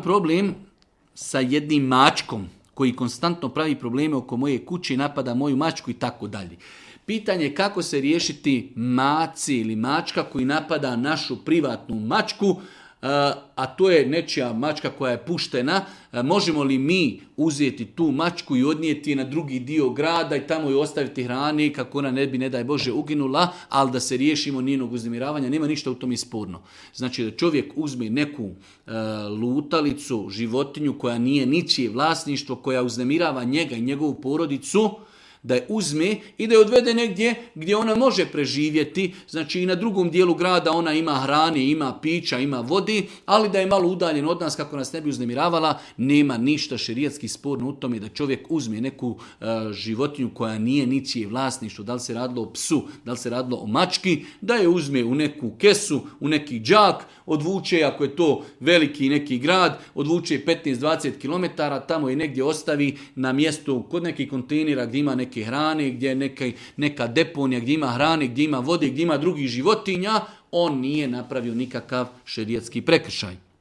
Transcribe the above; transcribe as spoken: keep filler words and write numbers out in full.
problem sa jednim mačkom koji konstantno pravi probleme oko moje kuće, napada moju mačku i tako dalje. Pitanje je kako se riješiti maci ili mačka koji napada našu privatnu mačku, a to je nečija mačka koja je puštena. Možemo li mi uzeti tu mačku i odnijeti na drugi dio grada i tamo joj ostaviti hrane kako ona ne bi, ne daj Bože, uginula, ali da se riješimo njenog uznemiravanja, nema ništa u tom sporno. Znači da čovjek uzme neku e, lutalicu, životinju koja nije ničije vlasništvo, koja uznemirava njega i njegovu porodicu, da je uzme i da je odvede negdje gdje ona može preživjeti, znači i na drugom dijelu grada ona ima hrane, ima pića, ima vodi, ali da je malo udaljen od nas kako nas ne bi uznemiravala, nema ništa šerijatski sporno u tome da čovjek uzme neku uh, životinju koja nije ničije vlasništvo, da li se radilo o psu, da li se radilo o mački, da je uzme u neku kesu, u neki džak, odvuče, ako je to veliki neki grad, odvuče petnaest do dvadeset kilometara, tamo je negdje ostavi na mjestu kod nekih kontejnera gdje ima neke hrane, gdje je neka, neka deponija, gdje ima hrane, gdje ima vode, gdje ima drugih životinja, on nije napravio nikakav šerijatski prekršaj.